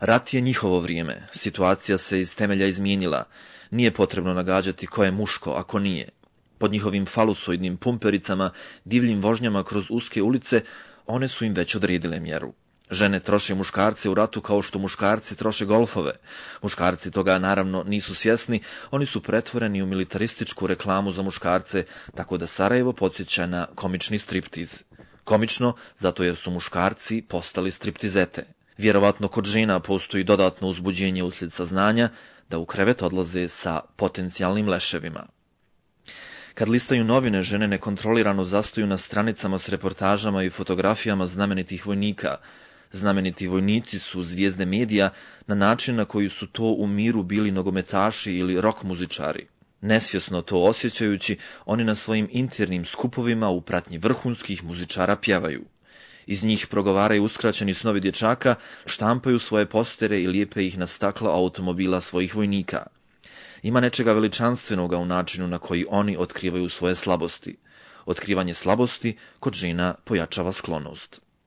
Rat je njihovo vrijeme, situacija se iz temelja izmijenila, nije potrebno nagađati ko je muško, a ko nije. Pod njihovim falusoidnim pumpericama, divljim vožnjama kroz uske ulice, one su im već odredile mjeru. Žene troše muškarce u ratu kao što muškarci troše golfove. Muškarci toga naravno nisu svjesni, oni su pretvoreni u militarističku reklamu za muškarce, tako da Sarajevo podsjeća na komični striptiz. Komično, zato jer su muškarci postali striptizete. Vjerovatno kod žena postoji dodatno uzbuđenje uslijed saznanja da u krevet odlaze sa potencijalnim leševima. Kad listaju novine, žene nekontrolirano zastaju na stranicama s reportažama i fotografijama znamenitih vojnika. Znameniti vojnici su zvijezde medija na način na koji su to u miru bili nogometaši ili rock muzičari. Nesvjesno to osjećajući, oni na svojim internim skupovima u pratnji vrhunskih muzičara pjevaju. Iz njih progovaraju uskraćeni snovi dječaka, štampaju svoje postere i lijepe ih na stakla automobila svojih vojnika. Ima nečega veličanstvenoga u načinu na koji oni otkrivaju svoje slabosti. Otkrivanje slabosti kod žena pojačava sklonost.